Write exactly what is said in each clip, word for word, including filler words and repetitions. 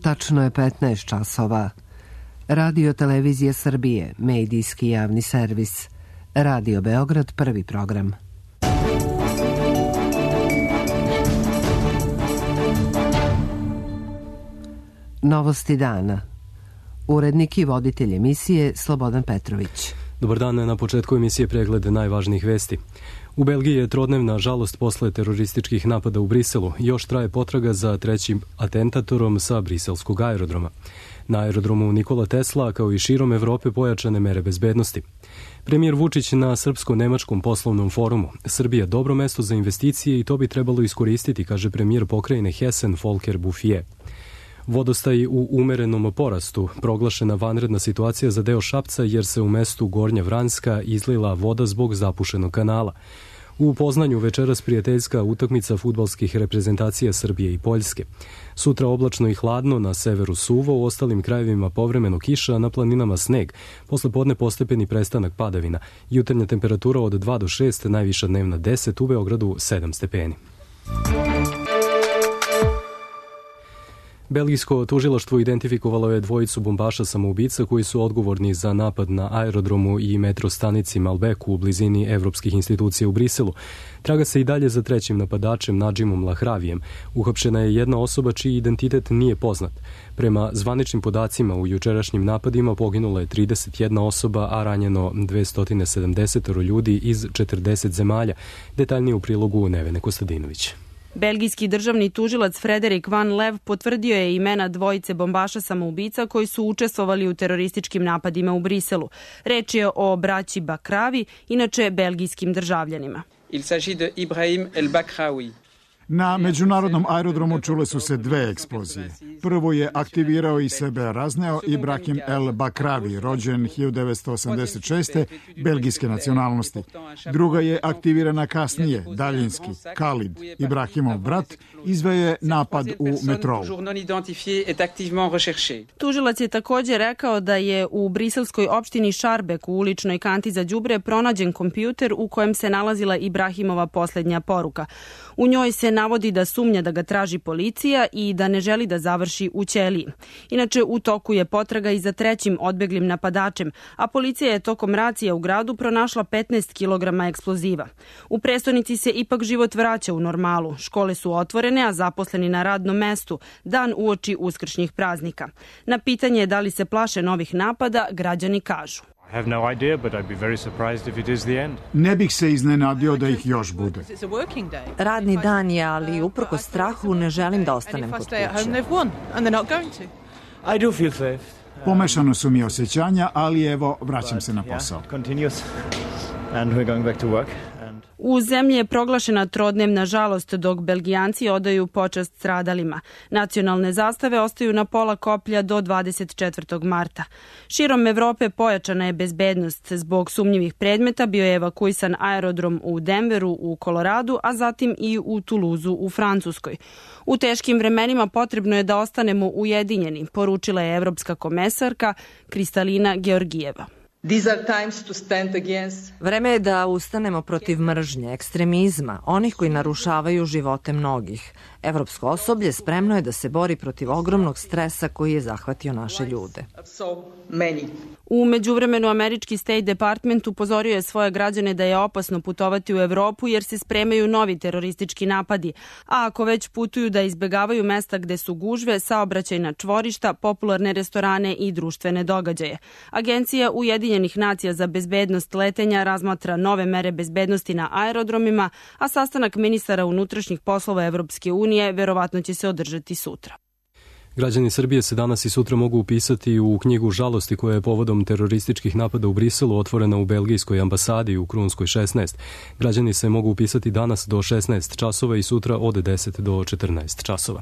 Tačno je petnaest časova. Radio Televizija Srbije, medijski javni servis. Radio Beograd, prvi program. Novosti dana. Urednik i voditelj emisije Slobodan Petrović. Dobar dan, na početku emisije pregled najvažnijih vesti. U Belgiji je trodnevna žalost posle terorističkih napada u Briselu. Još traje potraga za trećim atentatorom sa briselskog aerodroma. Na aerodromu Nikola Tesla, kao i širom Evrope, pojačane mere bezbednosti. Premijer Vučić na Srpsko-nemačkom poslovnom forumu. Srbija dobro mesto za investicije i to bi trebalo iskoristiti, kaže premijer pokrajine Hessen Volker Bouffier. Vodostaj u umerenom porastu, proglašena vanredna situacija za deo Šapca jer se u mestu Gornja Vranjska izlila voda zbog zapušenog kanala. U Poznanju večeras prijateljska utakmica fudbalskih reprezentacija Srbije i Poljske. Sutra oblačno i hladno, na severu suvo, u ostalim krajevima povremeno kiša, na planinama sneg. Posle podne postepeni prestanak padavina. Jutarnja temperatura od dva do šest, najviša dnevna deset, u Beogradu sedam stepeni. Belgijsko tužilaštvo identifikovalo je dvojicu bombaša samoubica koji su odgovorni za napad na aerodromu i metro stanici Malbec u blizini evropskih institucija u Briselu. Traga se i dalje za trećim napadačem Nadžimom Lahravijem. Uhapšena je jedna osoba čiji identitet nije poznat. Prema zvaničnim podacima u jučerašnjim napadima poginula je trideset jedna osoba, a ranjeno dvesta sedamdeset ljudi iz četrdeset zemalja. Detaljnije u prilogu Nevene Kostadinović. Belgijski državni tužilac Frederik Van Lev potvrdio je imena dvojice bombaša samoubica koji su učestvovali u terorističkim napadima u Briselu. Reč je o braći Bakravi, inače belgijskim državljanima. Il s'agit de Ibrahim El Bakraoui. Na međunarodnom aerodromu čule su se dve eksplozije. Prvo je aktivirao i sebe razneo Ibrahim El Bakravi, rođen hiljadu devetsto osamdeset šeste. belgijske nacionalnosti. Druga je aktivirana kasnije, daljinski. Khalid, Ibrahimov brat, izveo je napad u metrou. Tužilac je također rekao da je u briselskoj opštini Šarbek u uličnoj kanti za đubre pronađen kompjuter u kojem se nalazila Ibrahimova posljednja poruka. U njoj se navodi da sumnja da ga traži policija i da ne želi da završi u ćeliji. Inače, u toku je potraga i za trećim odbeglim napadačem, a policija je tokom racija u gradu pronašla petnaest kilograma eksploziva. U prestonici se ipak život vraća u normalu. Škole su otvorene, a zaposleni na radnom mestu, dan uoči uskršnjih praznika. Na pitanje da li se plaše novih napada, građani kažu: Ne bih se iznenadio da ih još bude. Radni dan je, ali uprkos strahu ne želim da ostanem kod kuće. Pomešano su mi osjećanja, ali evo, vraćam se na posao. U zemlji je proglašena trodnevna žalost dok Belgijanci odaju počast stradalima. Nacionalne zastave ostaju na pola koplja do dvadeset četvrtog marta. Širom Evrope pojačana je bezbednost. Zbog sumnjivih predmeta bio je evakuisan aerodrom u Denveru u Koloradu, a zatim i u Tuluzu u Francuskoj. U teškim vremenima potrebno je da ostanemo ujedinjeni, poručila je evropska komesarka Kristalina Georgijeva. Vreme je da ustanemo protiv mržnje, ekstremizma, onih koji narušavaju živote mnogih. Evropsko osoblje spremno je da se bori protiv ogromnog stresa koji je zahvatio naše ljude. U međuvremenu američki State Department upozorio je svoje građane da je opasno putovati u Evropu jer se spremaju novi teroristički napadi, a ako već putuju da izbegavaju mesta gde su gužve, saobraćajna čvorišta, popularne restorane i društvene događaje. Agencija Ujedinjenih nacija za bezbednost letenja razmatra nove mere bezbednosti na aerodromima, a sastanak ministara unutrašnjih poslova Evropske unije verovatno će se održati sutra. Građani Srbije se danas i sutra mogu upisati u knjigu žalosti koja je povodom terorističkih napada u Briselu otvorena u belgijskoj ambasadi u Krunskoj šesnaest. Građani se mogu upisati danas do šesnaest časova i sutra od deset do četrnaest časova.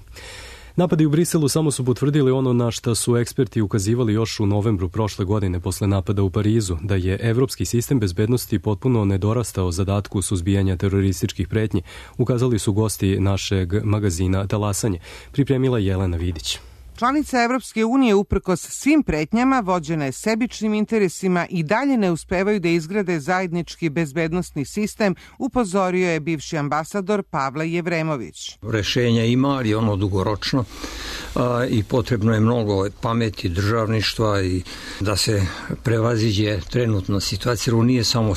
Napadi u Briselu samo su potvrdili ono na šta su eksperti ukazivali još u novembru prošle godine posle napada u Parizu, da je evropski sistem bezbednosti potpuno nedorastao zadatku suzbijanja terorističkih pretnji, ukazali su gosti našeg magazina Talasanje. Pripremila Jelena Vidić. Članice Evropske unije uprkos svim pretnjama vođene sebičnim interesima i dalje ne uspevaju da izgrade zajednički bezbednosni sistem, upozorio je bivši ambasador Pavle Jevremović. Rešenja ima, ali ono dugoročno a, i potrebno je mnogo pameti, državništva i da se prevaziđe trenutna situacija. Ovo nije samo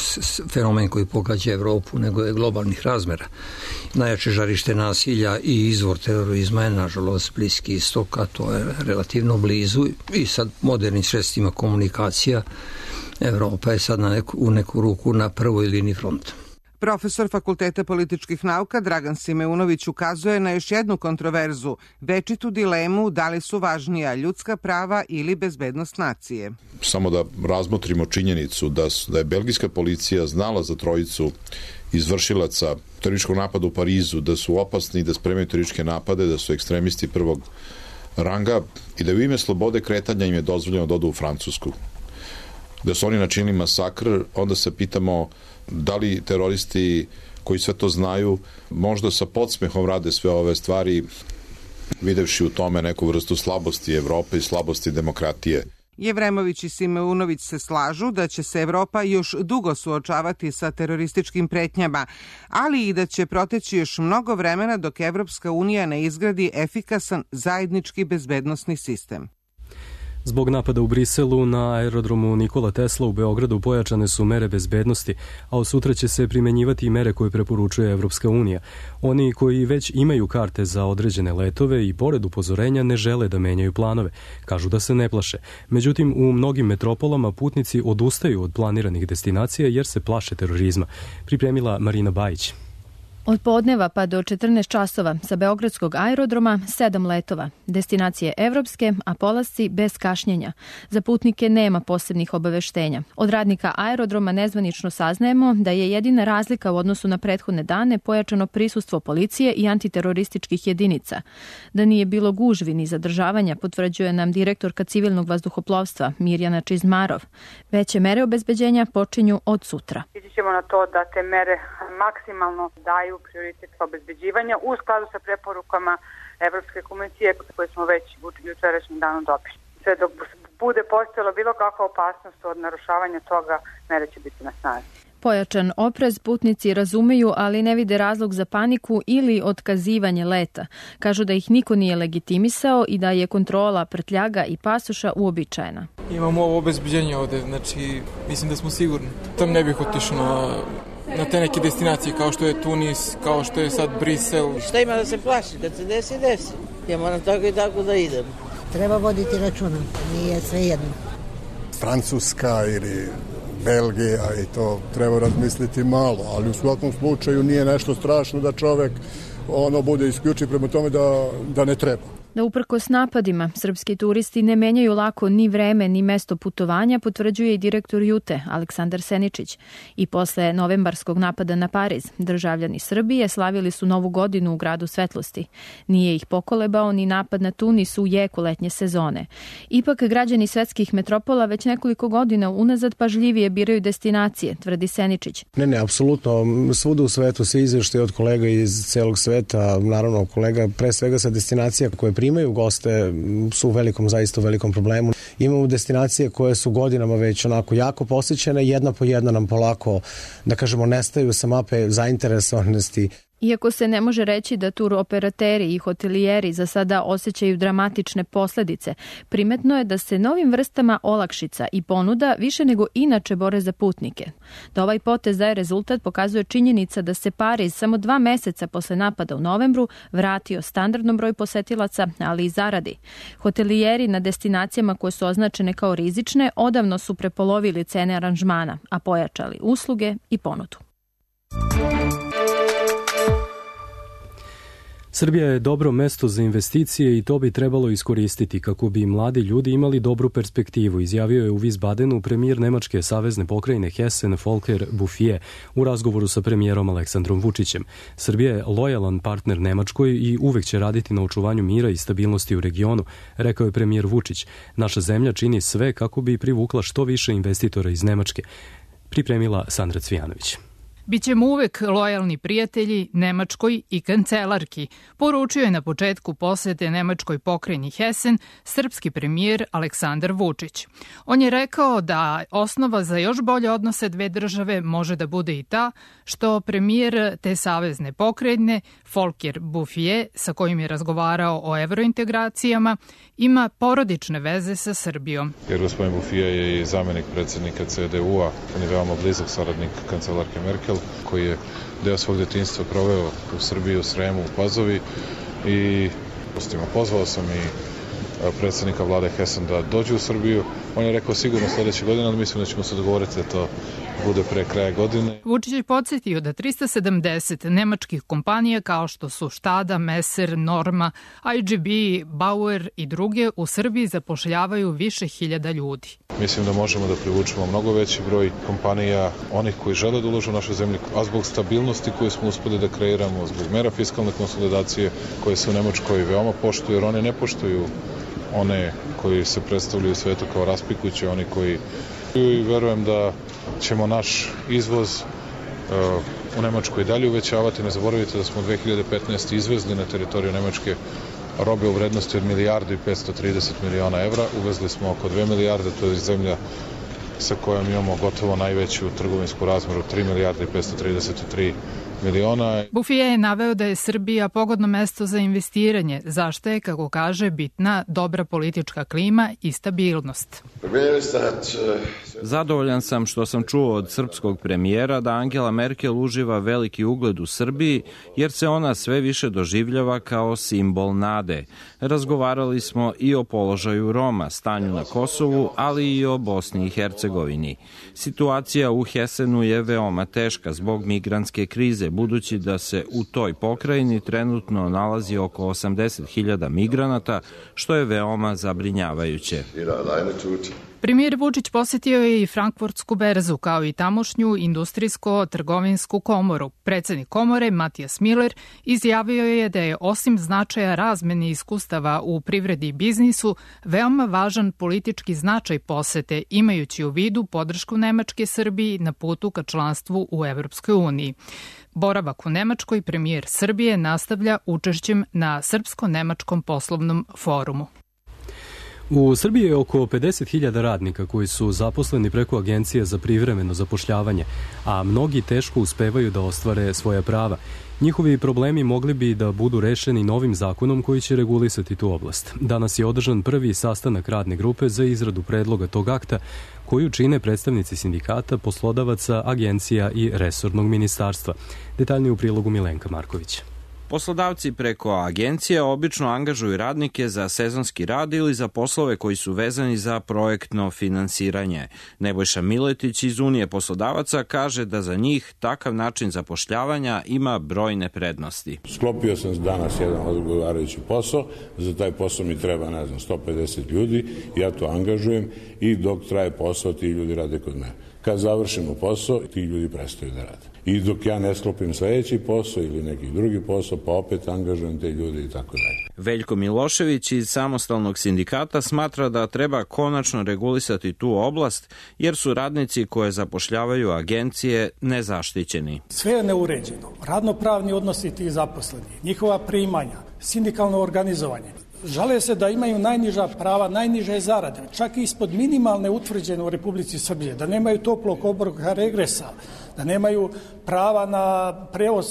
fenomen koji pogađa Evropu, nego je globalnih razmera. Najjače žarište nasilja i izvor terorizma je, nažalost, Bliski istok, a to je relativno blizu i sad modernim sredstvima komunikacija Evropa je sad na neku, u neku ruku na prvoj liniji fronta. Profesor Fakulteta političkih nauka Dragan Simeunović ukazuje na još jednu kontroverzu, večitu dilemu da li su važnija ljudska prava ili bezbednost nacije. Samo da razmotrimo činjenicu da, su, da je belgijska policija znala za trojicu izvršilaca terorističkog napada u Parizu, da su opasni i da spremaju terorističke napade, da su ekstremisti prvog ranga i da u ime slobode kretanja im je dozvoljeno da odu u Francusku. Da su oni načinili masakr, onda se pitamo da li teroristi koji sve to znaju možda sa podsmehom rade sve ove stvari, videvši u tome neku vrstu slabosti Evrope i slabosti demokratije. Jevremović i Simeunović se slažu da će se Evropa još dugo suočavati sa terorističkim pretnjama, ali i da će proteći još mnogo vremena dok Evropska unija ne izgradi efikasan zajednički bezbednosni sistem. Zbog napada u Briselu na aerodromu Nikola Tesla u Beogradu pojačane su mere bezbednosti, a od sutra će se primenjivati i mere koje preporučuje Evropska unija. Oni koji već imaju karte za određene letove i pored upozorenja ne žele da menjaju planove. Kažu da se ne plaše. Međutim, u mnogim metropolama putnici odustaju od planiranih destinacija jer se plaše terorizma. Pripremila Marina Bajić. Od podneva pa do četrnaest časova sa beogradskog aerodroma sedam letova. Destinacije evropske, a polasci bez kašnjenja. Za putnike nema posebnih obaveštenja. Od radnika aerodroma nezvanično saznajemo da je jedina razlika u odnosu na prethodne dane pojačano prisustvo policije i antiterorističkih jedinica. Da nije bilo gužvi ni zadržavanja, potvrđuje nam direktorka civilnog vazduhoplovstva Mirjana Čizmarov. Veće mere obezbeđenja počinju od sutra. Ići ćemo na to da te mere maksimalno daju prioritet obezbeđivanja u skladu sa preporukama Evropske komisije koje smo već u jučerašnjem danu dobili. Sve dok bude postojala bilo kakva opasnost od narušavanja toga, mere će biti na snazi. Pojačan oprez putnici razumeju, ali ne vide razlog za paniku ili otkazivanje leta. Kažu da ih niko nije legitimisao i da je kontrola prtljaga i pasoša uobičajena. Imamo ovo obezbeđenje ovde, znači mislim da smo sigurni. Tam ne bih otišao na, na te neke destinacije kao što je Tunis, kao što je sad Brisel. Šta ima da se plaši? Kad se desi, desi. Ja moram tako i tako da idem. Treba voditi računa, nije sve jedno. Francuska ili Belgija i to treba razmisliti malo, ali u svakom slučaju nije nešto strašno da čovek ono bude isključiv prema tome da, da ne treba. Da uprkos napadima, srpski turisti ne menjaju lako ni vreme ni mesto putovanja, potvrđuje i direktor Jute, Aleksandar Seničić. I posle novembarskog napada na Pariz, državljani Srbije slavili su Novu godinu u gradu svetlosti. Nije ih pokolebao ni napad na Tunis u jeku letnje sezone. Ipak građani svetskih metropola već nekoliko godina unazad pažljivije biraju destinacije, tvrdi Seničić. Ne, ne, apsolutno. Svuda u svetu se izveštaje od kolega iz celog sveta, naravno kolega pre svega sa destinacija koje primaju goste su u velikom, zaista u velikom problemu. Imamo destinacije koje su godinama već onako jako posjećene, jedna po jedna nam polako, da kažemo, nestaju sa mape zainteresovanosti. Iako se ne može reći da tur operateri i hotelijeri za sada osjećaju dramatične posledice, primetno je da se novim vrstama olakšica i ponuda više nego inače bore za putnike. Da ovaj potez daje rezultat pokazuje činjenica da se Pariz samo dva meseca posle napada u novembru vratio standardnom broju posetilaca, ali i zaradi. Hotelijeri na destinacijama koje su označene kao rizične odavno su prepolovili cene aranžmana, a pojačali usluge i ponudu. Srbija je dobro mesto za investicije i to bi trebalo iskoristiti kako bi mladi ljudi imali dobru perspektivu, izjavio je u Wiesbadenu premijer Nemačke savezne pokrajine Hessen Volker Bouffier u razgovoru sa premijerom Aleksandrom Vučićem. Srbija je lojalan partner Nemačkoj i uvek će raditi na očuvanju mira i stabilnosti u regionu, rekao je premijer Vučić. Naša zemlja čini sve kako bi privukla što više investitora iz Nemačke. Pripremila Sandra Cvijanović. Bićemo uvek lojalni prijatelji Nemačkoj i kancelarki, poručio je na početku posete nemačkoj pokrajini Hessen srpski premijer Aleksandar Vučić. On je rekao da osnova za još bolje odnose dve države može da bude i ta što premijer te savezne pokrajine Volker Bouffier, sa kojim je razgovarao o evrointegracijama, ima porodične veze sa Srbijom. Jer gospodin Bouffier je i zamenik predsjednika C D U-a, on je veoma blizak saradnik kancelarke Merkel, koji je deo svog detinjstva proveo u Srbiji, u Sremu, u Pazovi i pozvao sam i predsjednika vlade Hessen da dođe u Srbiju. On je rekao sigurno sljedeće godine, ali mislim da ćemo se dogovoriti da to bude pre kraja godine. Vučić je podsjetio da trista sedamdeset nemačkih kompanija kao što su Štada, Messer, Norma, I G B, Bauer i druge u Srbiji zapošljavaju više hiljada ljudi. Mislim da možemo da privučemo mnogo veći broj kompanija, onih koji žele da ulažu u našu zemlju, a zbog stabilnosti koju smo uspeli da kreiramo, zbog mera fiskalne konsolidacije koje se u Nemačkoj veoma poštuju, jer one ne poštuju one koji se predstavljaju u svetu kao raspikuće, oni koji i verujem da ćemo naš izvoz uh, u Nemačkoj dalje uvećavati. Ne zaboravite da smo dve hiljade petnaeste. izvezli na teritoriju Nemačke robe u vrednosti od milijardu i petsto trideset miliona evra. Uvezli smo oko dve milijarde, to je zemlja sa kojom imamo gotovo najveću trgovinsku razmeru, tri milijarde i petsto trideset tri miliona. Bouffier je naveo da je Srbija pogodno mesto za investiranje, zašto je, kako kaže, bitna dobra politička klima i stabilnost. Zadovoljan sam što sam čuo od srpskog premijera da Angela Merkel uživa veliki ugled u Srbiji, jer se ona sve više doživljava kao simbol nade. Razgovarali smo i o položaju Roma, stanju na Kosovu, ali i o Bosni i Hercegovini. Situacija u Hessenu je veoma teška zbog migrantske krize, budući da se u toj pokrajini trenutno nalazi oko osamdeset hiljada migranata, što je veoma zabrinjavajuće. Premijer Vučić posjetio je i Frankfurtsku berzu, kao i tamošnju industrijsko-trgovinsku komoru. Predsjednik komore, Matijas Miller, izjavio je da je osim značaja razmene iskustava u privredi i biznisu, veoma važan politički značaj posete, imajući u vidu podršku Nemačke Srbiji na putu ka članstvu u Evropskoj uniji. Boravak u Nemačkoj premijer Srbije nastavlja učešćem na Srpsko-nemačkom poslovnom forumu. U Srbiji je oko pedeset hiljada radnika koji su zaposleni preko agencije za privremeno zapošljavanje, a mnogi teško uspevaju da ostvare svoja prava. Njihovi problemi mogli bi da budu rešeni novim zakonom koji će regulisati tu oblast. Danas je održan prvi sastanak radne grupe za izradu predloga tog akta, koju čine predstavnici sindikata, poslodavaca, agencija i resornog ministarstva. Detaljnije u prilogu Milenka Marković. Poslodavci preko agencije obično angažuju radnike za sezonski rad ili za poslove koji su vezani za projektno finansiranje. Nebojša Miletić iz Unije poslodavaca kaže da za njih takav način zapošljavanja ima brojne prednosti. Sklopio sam danas jedan odgovarajući posao, za taj posao mi treba, ne znam, sto pedeset ljudi, ja to angažujem i dok traje posao ti ljudi rade kod mene. Kad završimo posao, ti ljudi prestaju da rade. I dok ja ne sklopim sledeći posao ili neki drugi posao, pa opet angažujem te ljudi i tako dalje. Veljko Milošević iz Samostalnog sindikata smatra da treba konačno regulisati tu oblast, jer su radnici koje zapošljavaju agencije nezaštićeni. Sve je neuređeno. Radnopravni odnosi tih zaposlenih, njihova primanja, sindikalno organizovanje. Žale se da imaju najniža prava, najniže zarade, čak i ispod minimalne utvrđene u Republici Srbije, da nemaju toplog obroka regresa, da nemaju prava na prevoz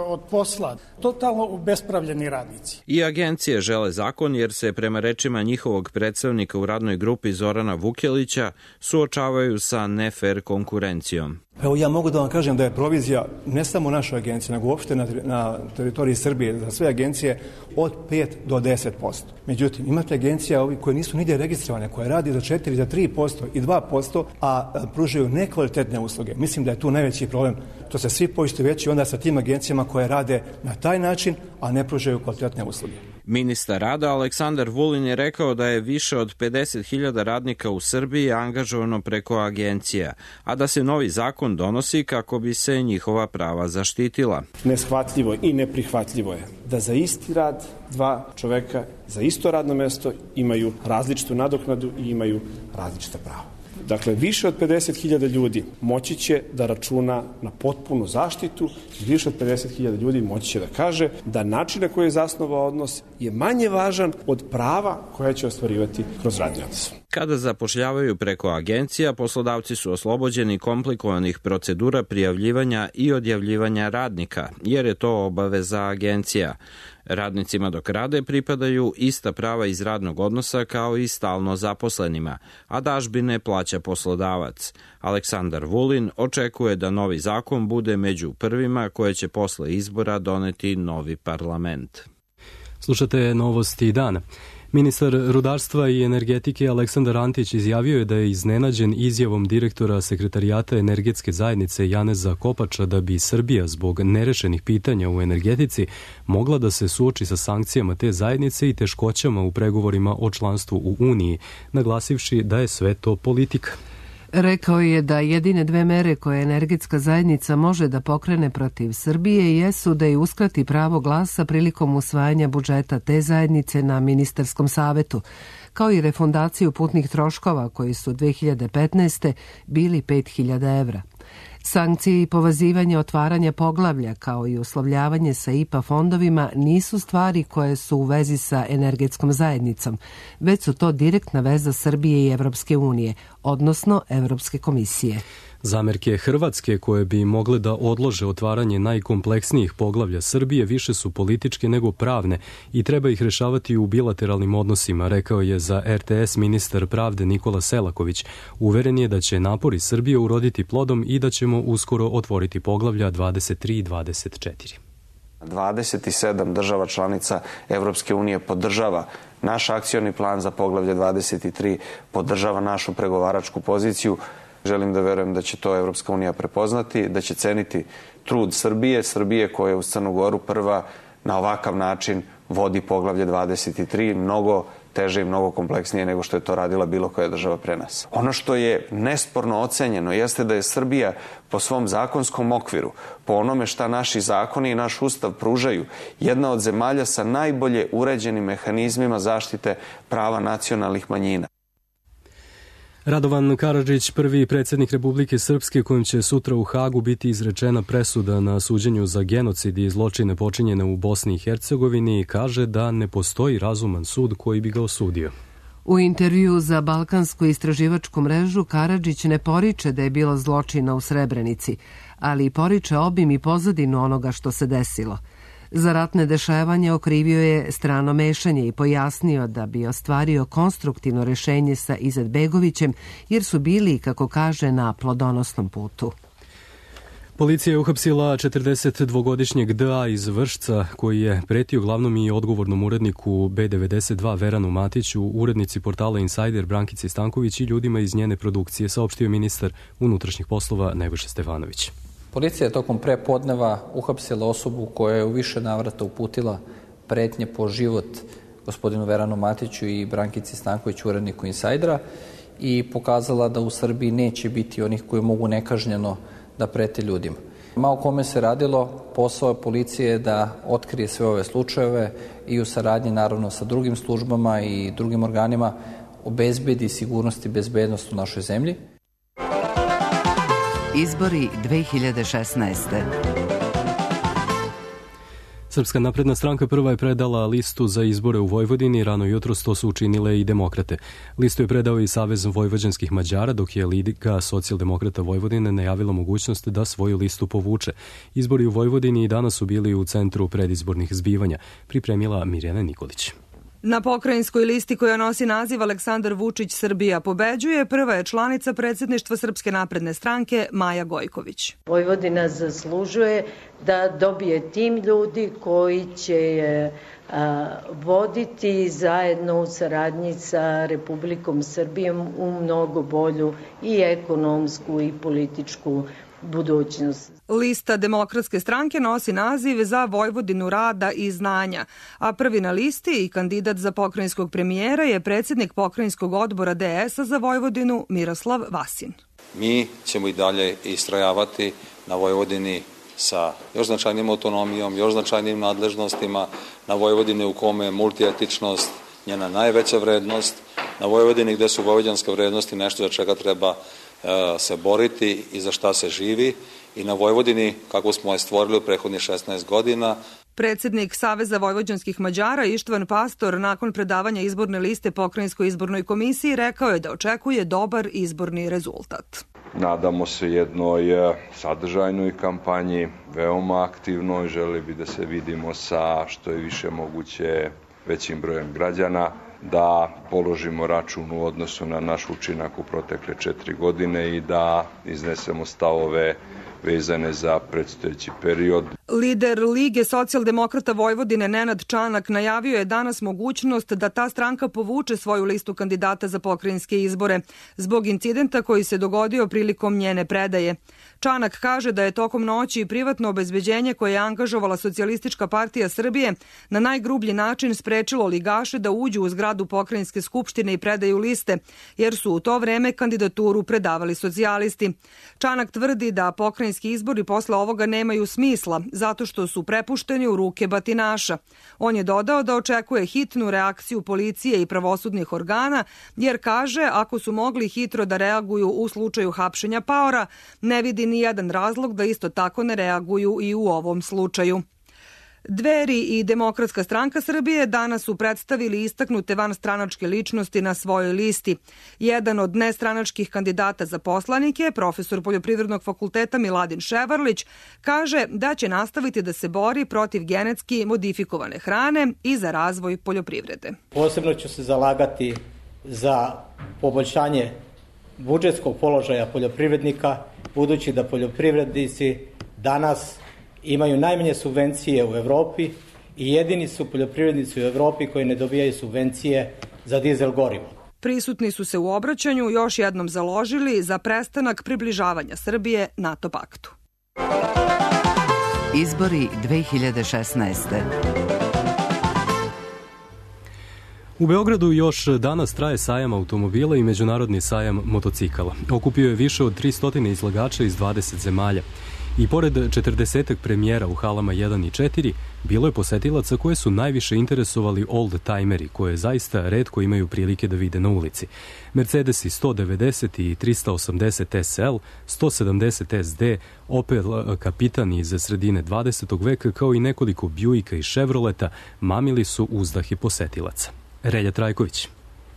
od posla, totalno ubespravljeni radnici. I agencije žele zakon jer se prema rečima njihovog predstavnika u radnoj grupi Zorana Vukelića suočavaju sa nefer konkurencijom. Evo ja mogu da vam kažem da je provizija ne samo naša agencija, nego uopšte na, na teritoriji Srbije za sve agencije od pet do deset posto. Međutim, imate agencija ovi koje nisu nigdje registrovane, koje radi za četiri, za tri posto i dva posto, a pružaju nekvalitetne usluge. Mislim da je tu najveći problem. To se svi poistovećuju onda sa tim agencijama koje rade na taj način, a ne pružaju kvalitetne usluge. Ministar rada Aleksandar Vulin je rekao da je više od pedeset hiljada radnika u Srbiji angažovano preko agencija, a da se novi zakon donosi kako bi se njihova prava zaštitila. Neshvatljivo i neprihvatljivo je da za isti rad dva čoveka za isto radno mesto imaju različitu nadoknadu i imaju različita prava. Dakle, više od pedeset hiljada ljudi moći će da računa na potpunu zaštitu i više od pedeset hiljada ljudi moći će da kaže da način na koji je zasnovao odnos je manje važan od prava koja će ostvarivati kroz radni odnos. Kada zapošljavaju preko agencija, poslodavci su oslobođeni komplikovanih procedura prijavljivanja i odjavljivanja radnika, jer je to obaveza agencija. Radnicima dok rade pripadaju ista prava iz radnog odnosa kao i stalno zaposlenima, a dažbine plaća poslodavac. Aleksandar Vulin očekuje da novi zakon bude među prvima koje će posle izbora doneti novi parlament. Slušate novosti dana. Ministar rudarstva i energetike Aleksandar Antić izjavio je da je iznenađen izjavom direktora Sekretarijata energetske zajednice Janeza Kopača da bi Srbija zbog nerešenih pitanja u energetici mogla da se suoči sa sankcijama te zajednice i teškoćama u pregovorima o članstvu u Uniji, naglasivši da je sve to politika. Rekao je da jedine dve mere koje energetska zajednica može da pokrene protiv Srbije jesu da je uskrati pravo glasa prilikom usvajanja budžeta te zajednice na ministarskom savetu, kao i refundaciju putnih troškova koji su dve hiljade petnaeste. bili pet hiljada evra. Sankcije i povazivanje otvaranja poglavlja kao i uslovljavanje sa I P A fondovima nisu stvari koje su u vezi sa energetskom zajednicom, već su to direktna veza Srbije i Evropske unije, odnosno Evropske komisije. Zamerke Hrvatske koje bi mogle da odlože otvaranje najkompleksnijih poglavlja Srbije više su političke nego pravne i treba ih rešavati u bilateralnim odnosima, rekao je za R T S ministar pravde Nikola Selaković. Uveren je da će napori Srbije uroditi plodom i da ćemo uskoro otvoriti poglavlja dvadeset tri i dvadeset četiri. dvadeset sedam država članica Evropske unije podržava naš akcioni plan za poglavlje dvadeset tri, podržava našu pregovaračku poziciju. Želim da verujem da će to Evropska unija prepoznati, da će ceniti trud Srbije, Srbije koja je uz Crnu Goru prva na ovakav način vodi poglavlje dvadeset tri, mnogo teže i mnogo kompleksnije nego što je to radila bilo koja država pre nas. Ono što je nesporno ocenjeno jeste da je Srbija po svom zakonskom okviru, po onome šta naši zakoni i naš ustav pružaju, jedna od zemalja sa najbolje uređenim mehanizmima zaštite prava nacionalnih manjina. Radovan Karadžić, prvi predsjednik Republike Srpske, kojim će sutra u Hagu biti izrečena presuda na suđenju za genocid i zločine počinjene u Bosni i Hercegovini, kaže da ne postoji razuman sud koji bi ga osudio. U intervju za Balkansku istraživačku mrežu Karadžić ne poriče da je bilo zločina u Srebrenici, ali poriče obim i pozadinu onoga što se desilo. Za ratne dešavanje okrivio je strano mešanje i pojasnio da bi ostvario konstruktivno rešenje sa Izetbegovićem, jer su bili, kako kaže, na plodonosnom putu. Policija je uhapsila četrdesetdvogodišnjeg D A iz Vršca, koji je pretio glavnom i odgovornom uredniku B devedeset dva Veranu Matiću, urednici portala Insider Brankici Stanković i ljudima iz njene produkcije, saopštio ministar unutrašnjih poslova Nebojša Stefanović. Policija je tokom prepodneva uhapsila osobu koja je u više navrata uputila pretnje po život gospodinu Veranu Matiću i Brankici Stanković, uredniku Insajdera, i pokazala da u Srbiji neće biti onih koji mogu nekažnjeno da prete ljudima. Ma o kome se radilo, posao policije je da otkrije sve ove slučajeve i u saradnji naravno sa drugim službama i drugim organima obezbedi sigurnost i bezbednost u našoj zemlji. Izbori dve hiljade šesnaeste. Srpska napredna stranka prva je predala listu za izbore u Vojvodini, rano jutros to su učinile i demokrate. Listu je predao i Savez vojvođanskih Mađara, dok je Liga socijaldemokrata Vojvodine najavila mogućnost da svoju listu povuče. Izbori u Vojvodini i danas su bili u centru predizbornih zbivanja, pripremila Mirjana Nikolić. Na pokrajinskoj listi koja nosi naziv Aleksandar Vučić Srbija pobeđuje, prva je članica predsjedništva Srpske napredne stranke Maja Gojković. Vojvodina zaslužuje da dobije tim ljudi koji će je a, voditi zajedno u saradnji sa Republikom Srbijom u mnogo bolju i ekonomsku i političku budućnost. Lista Demokratske stranke nosi naziv Za Vojvodinu rada i znanja, a prvi na listi i kandidat za pokrajinskog premijera je predsjednik pokrajinskog odbora D S-a za Vojvodinu Miroslav Vasin. Mi ćemo i dalje istrajavati na Vojvodini sa još značajnim autonomijom, još značajnim nadležnostima, na Vojvodini u kome je multietičnost njena najveća vrednost, na Vojvodini gde su vojvođanske vrednosti nešto za čega treba se boriti i za šta se živi, i na Vojvodini kako smo je stvorili u prethodnih šesnaest godina. Predsednik Saveza vojvođanskih Mađara Ištvan Pastor nakon predavanja izborne liste Pokrajinskoj izbornoj komisiji rekao je da očekuje dobar izborni rezultat. Nadamo se jednoj sadržajnoj kampanji, veoma aktivnoj, želi bi da se vidimo sa što je više moguće većim brojem građana, da položimo račun u odnosu na naš učinak u protekle četiri godine i da iznesemo stavove vezane za predstojeći period. Lider Lige socijaldemokrata Vojvodine Nenad Čanak najavio je danas mogućnost da ta stranka povuče svoju listu kandidata za pokrajinske izbore zbog incidenta koji se dogodio prilikom njene predaje. Čanak kaže da je tokom noći privatno obezbeđenje koje je angažovala Socijalistička partija Srbije na najgrublji način sprečilo ligaše da uđu u zgradu pokrajinske skupštine i predaju liste, jer su u to vreme kandidaturu predavali socijalisti. Čanak tvrdi da pokrajinski izbori posle ovoga nemaju smisla, zato što su prepušteni u ruke batinaša. On je dodao da očekuje hitnu reakciju policije i pravosudnih organa, jer kaže ako su mogli hitro da reaguju u slučaju hapšenja paora, ne vidi ni jedan razlog da isto tako ne reaguju i u ovom slučaju. Dveri i Demokratska stranka Srbije danas su predstavili istaknute vanstranačke ličnosti na svojoj listi. Jedan od nestranačkih kandidata za poslanike, profesor Poljoprivrednog fakulteta Miladin Ševarlić, kaže da će nastaviti da se bori protiv genetski modifikovane hrane i za razvoj poljoprivrede. Posebno ću se zalagati za poboljšanje budžetskog položaja poljoprivrednika, budući da poljoprivrednici danas imaju najmanje subvencije u Evropi i jedini su poljoprivrednici u Evropi koji ne dobijaju subvencije za dizel gorivo. Prisutni su se u obraćanju još jednom založili za prestanak približavanja Srbije NATO paktu. Izbori dve hiljade šesnaeste. U Beogradu još danas traje sajam automobila i međunarodni sajam motocikala. Okupio je više od tristo izlagača iz dvadeset zemalja. I pored četrdesetak premijera u halama jedan i četiri, bilo je posetilaca koje su najviše interesovali old-timeri, koje zaista retko imaju prilike da vide na ulici. Mercedesi sto devedeset i trista osamdeset S L, sto sedamdeset S D, Opel Kapitan iz sredine dvadesetog veka, kao i nekoliko Buicka i Chevroleta, mamili su uzdahe posetilaca. Relja Trajković.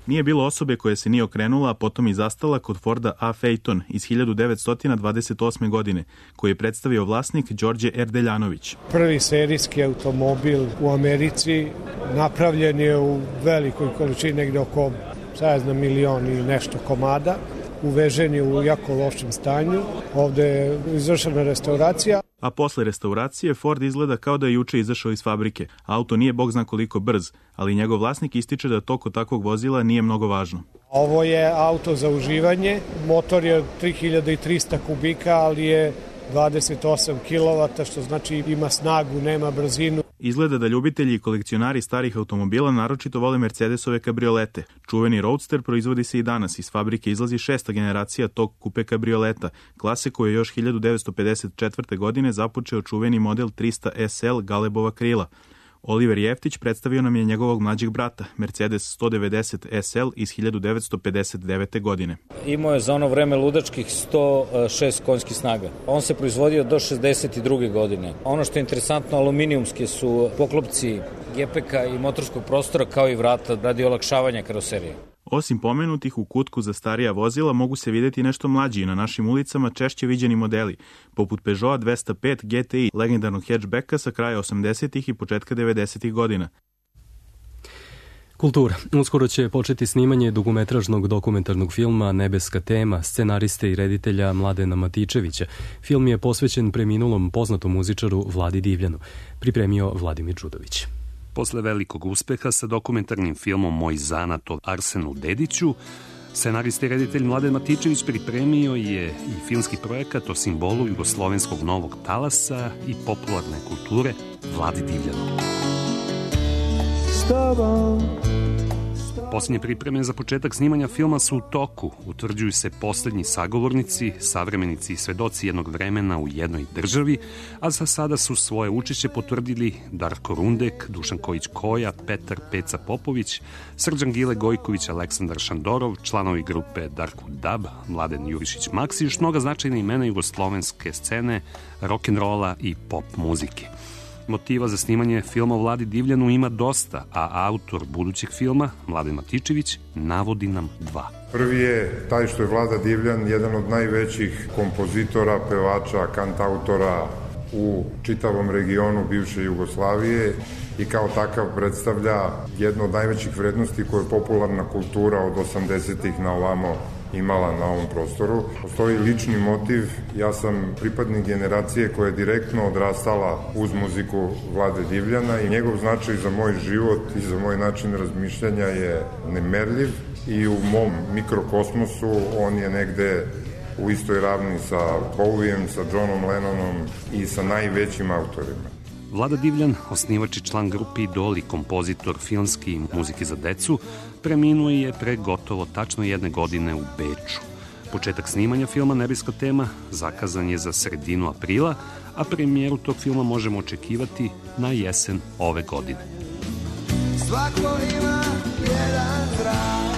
Nije bilo osobe koja se nije okrenula, a potom i zastala kod Forda A. Phaeton iz hiljadu devetsto dvadeset osme. godine, koji je predstavio vlasnik Đorđe Erdeljanović. Prvi serijski automobil u Americi napravljen je u velikoj količini, negde oko, sad znam, milion i nešto komada. Uvežen je u jako lošem stanju. Ovde je izvršena restauracija. A posle restauracije Ford izgleda kao da je juče izašao iz fabrike. Auto nije bog zna koliko brz, ali njegov vlasnik ističe da to kod takvog vozila nije mnogo važno. Ovo je auto za uživanje. Motor je tri hiljade trista kubika, ali je dvadeset osam kilovata, što znači ima snagu, nema brzinu. Izgleda da ljubitelji i kolekcionari starih automobila naročito vole Mercedesove kabriolete. Čuveni Roadster proizvodi se i danas. Iz fabrike izlazi šesta generacija tog kupe kabrioleta, klase koju je još hiljadu devetsto pedeset četvrte. godine započeo čuveni model trista S L Galebova krila. Oliver Jeftić predstavio nam je njegovog mlađeg brata, Mercedes sto devedeset S L iz hiljadu devetsto pedeset devete. godine. Imao je za ono vreme ludačkih sto šest konjskih snaga. On se proizvodio do šezdeset druge. godine. Ono što je interesantno, aluminijumske su poklopci gepeka i motorskog prostora kao i vrata radi olakšavanja karoserije. Osim pomenutih, u kutku za starija vozila mogu se videti nešto mlađi i na našim ulicama češće viđeni modeli, poput Peugeota dvesta pet G T I, legendarnog hatchbacka sa kraja osamdesetih i početka devedesetih. godina. Kultura. Uskoro će početi snimanje dugometražnog dokumentarnog filma Nebeska tema scenariste i reditelja Mladena Matičevića. Film je posvećen preminulom poznatom muzičaru Vladi Divljanu. Pripremio Vladimir Đudović. Posle velikog uspeha sa dokumentarnim filmom Moj zanat o Arsenu Dediću, scenarista i reditelj Mladen Matičević pripremio je i filmski projekat o simbolu jugoslovenskog novog talasa i popularne kulture Vladi Divljanu. Posljednje pripreme za početak snimanja filma su u toku. Utvrđuju se poslednji sagovornici, savremenici i svedoci jednog vremena u jednoj državi, a za sada su svoje učešće potvrdili Darko Rundek, Dušan Kojić-Koja, Petar Peca Popović, Srđan Gile Gojković, Aleksandar Šandorov, članovi grupe Darku Dab, Mladen Jurišić-Maksi i još mnoga značajna imena jugoslovenske scene, rock'n'rolla i pop muzike. Motiva za snimanje filma o Vladi Divljanu ima dosta, a autor budućeg filma, Mladen Matičević, navodi nam dva. Prvi je taj što je Vlada Divljan jedan od najvećih kompozitora, pevača, kantautora u čitavom regionu bivše Jugoslavije i kao takav predstavlja jednu od najvećih vrednosti koje je popularna kultura od osamdesetih na ovamo imala na ovom prostoru. Postoji lični motiv, ja sam pripadnik generacije koja je direktno odrastala uz muziku Vlade Divljana i njegov značaj za moj život i za moj način razmišljanja je nemerljiv i u mom mikrokosmosu on je negde u istoj ravni sa Bowiem, sa Johnom Lennonom i sa najvećim autorima. Vlada Divljan, osnivač i član grupe Idol i kompozitor filmski i muzike za decu, preminuo je pre gotovo tačno jedne godine u Beču. Početak snimanja filma Nebeska tema zakazan je za sredinu aprila, a premijeru tog filma možemo očekivati na jesen ove godine. Svako ima jedan zrak.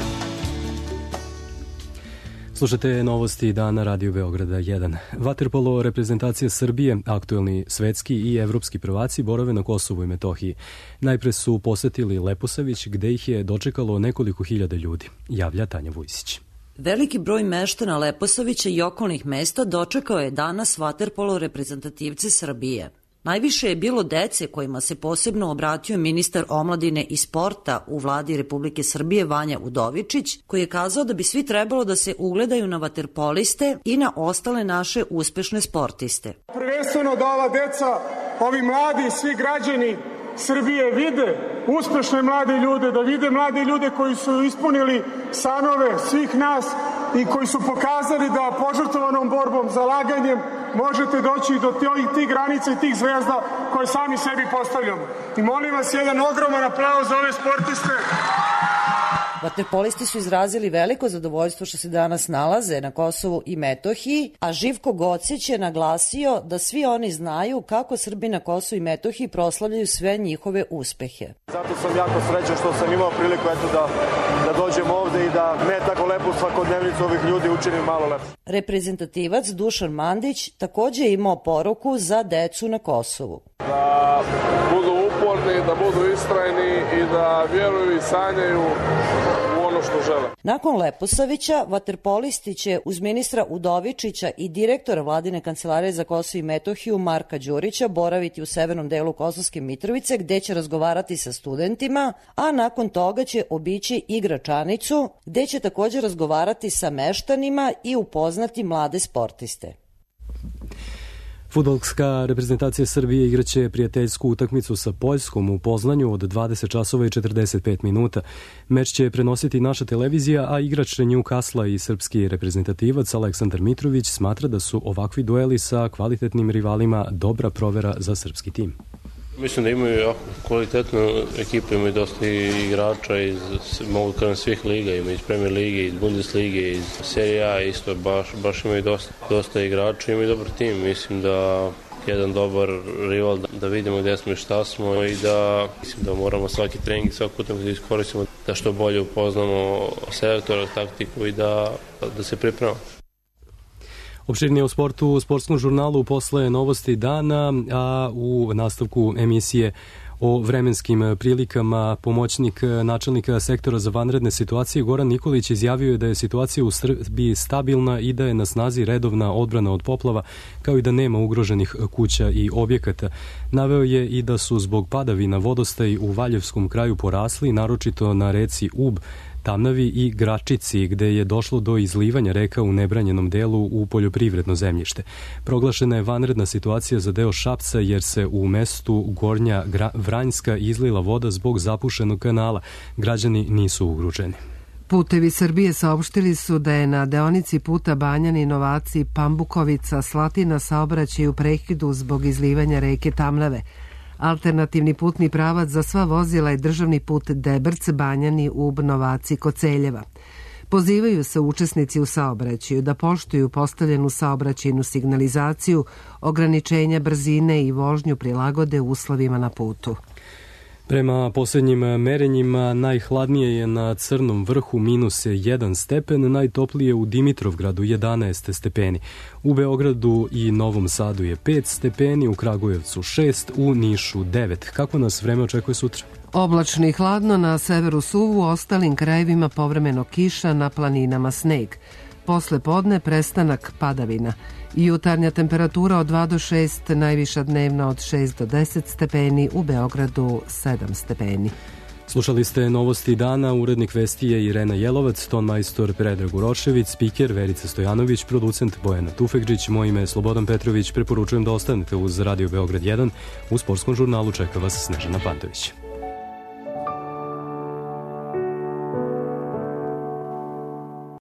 Slušate novosti dana Radio Beograda jedan. Vaterpolo reprezentacija Srbije, aktuelni svetski i evropski prvaci borave na Kosovu i Metohiji. Najpre su posetili Leposavić, gde ih je dočekalo nekoliko hiljada ljudi, javlja Tanja Vujsić. Veliki broj meštana Leposavića i okolnih mesta dočekao je danas vaterpolo reprezentativci Srbije. Najviše je bilo dece kojima se posebno obratio ministar omladine i sporta u vladi Republike Srbije Vanja Udovičić, koji je kazao da bi svi trebalo da se ugledaju na vaterpoliste i na ostale naše uspešne sportiste. Prvenstveno da ova deca, ovi mladi, svi građani Srbije vide uspešne mlade ljude, da vide mlade ljude koji su ispunili sanove svih nas i koji su pokazali da požrtvovanom borbom, zalaganjem možete doći do tih granica i tih zvezda koje sami sebi postavljamo. I molim vas jedan ogroman aplauz za ove sportiste. Vaterpolisti su izrazili veliko zadovoljstvo što se danas nalaze na Kosovu i Metohiji, a Živko Gocić je naglasio da svi oni znaju kako Srbi na Kosovu i Metohiji proslavljaju sve njihove uspehe. Zato sam jako srećan što sam imao priliku eto da, da dođem ovde i da ne tako lepu svakodnevnicu ovih ljudi učinim malo lepo. Reprezentativac Dušan Mandić takođe je imao poruku za decu na Kosovu. Da budu uporni, da budu istrajni i da vjeruju i sanjaju u ono što žele. Nakon Leposavića, vaterpolisti će uz ministra Udovičića i direktora Vladine kancelarije za Kosovo i Metohiju Marka Đurića boraviti u severnom delu Kosovske Mitrovice, gde će razgovarati sa studentima, a nakon toga će obići i Gračanicu, gde će također razgovarati sa meštanima i upoznati mlade sportiste. Fudbalska reprezentacija Srbije igraće prijateljsku utakmicu sa Poljskom u Poznanju od dvadeset časova i četrdeset pet minuta. Meč će prenositi naša televizija, a igrač Newcastle i srpski reprezentativac Aleksandar Mitrović smatra da su ovakvi dueli sa kvalitetnim rivalima dobra provera za srpski tim. Mislim da imaju jako kvalitetnu ekipu, imaju dosta igrača iz, mogu kažem, svih liga, imaju iz Premier lige, iz Bundeslige, iz Serie A, isto baš, baš imaju dosta, dosta igrača, imaju dobar tim. Mislim da jedan dobar rival, da vidimo gde smo i šta smo i da, mislim da moramo svaki trening, svaki putem da iskoristimo, da što bolje upoznamo selektora, taktiku i da, da se pripremamo. Opširnije o sportu u sportskom žurnalu posle novosti dana, a u nastavku emisije o vremenskim prilikama pomoćnik načelnika sektora za vanredne situacije Goran Nikolić izjavio je da je situacija u Srbiji stabilna i da je na snazi redovna odbrana od poplava, kao i da nema ugroženih kuća i objekata. Naveo je i da su zbog padavina vodostaj u Valjevskom kraju porasli, naročito na reci Ub, Tamnavi i Gračici, gde je došlo do izlivanja reka u nebranjenom delu u poljoprivredno zemljište. Proglašena je vanredna situacija za deo Šapca jer se u mestu Gornja Vranjska izlila voda zbog zapušenog kanala. Građani nisu ugroženi. Putevi Srbije saopštili su da je na deonici puta Banjani Novaci Pambukovica Slatina saobraćaj u prekidu zbog izlivanja reke Tamnave. Alternativni putni pravac za sva vozila je državni put Debrc-Banjani u Novaci Koceljeva. Pozivaju se učesnici u saobraćaju da poštuju postavljenu saobraćajnu signalizaciju, ograničenja brzine i vožnju prilagode uslovima na putu. Prema posljednjim merenjima najhladnije je na Crnom vrhu minus jedan stepen, najtoplije u Dimitrovgradu jedanaest stepeni. U Beogradu i Novom Sadu je pet stepeni, u Kragujevcu šest, u Nišu devet. Kako nas vreme očekuje sutra? Oblačno i hladno, na severu suvu, u ostalim krajevima povremeno kiša, na planinama sneg. Posle podne prestanak padavina. Jutarnja temperatura od dva do šest, najviša dnevna od šest do deset stepeni, u Beogradu sedam stepeni. Slušali ste novosti dana, urednik vesti je Irena Jelovac, tonmajstor Predrag Urošević, spiker Verica Stojanović, producent Bojana Tufegđić, moje ime je Slobodan Petrović, preporučujem da ostanete uz Radio Beograd jedan, u sportskom žurnalu čeka vas Snežana Pantović.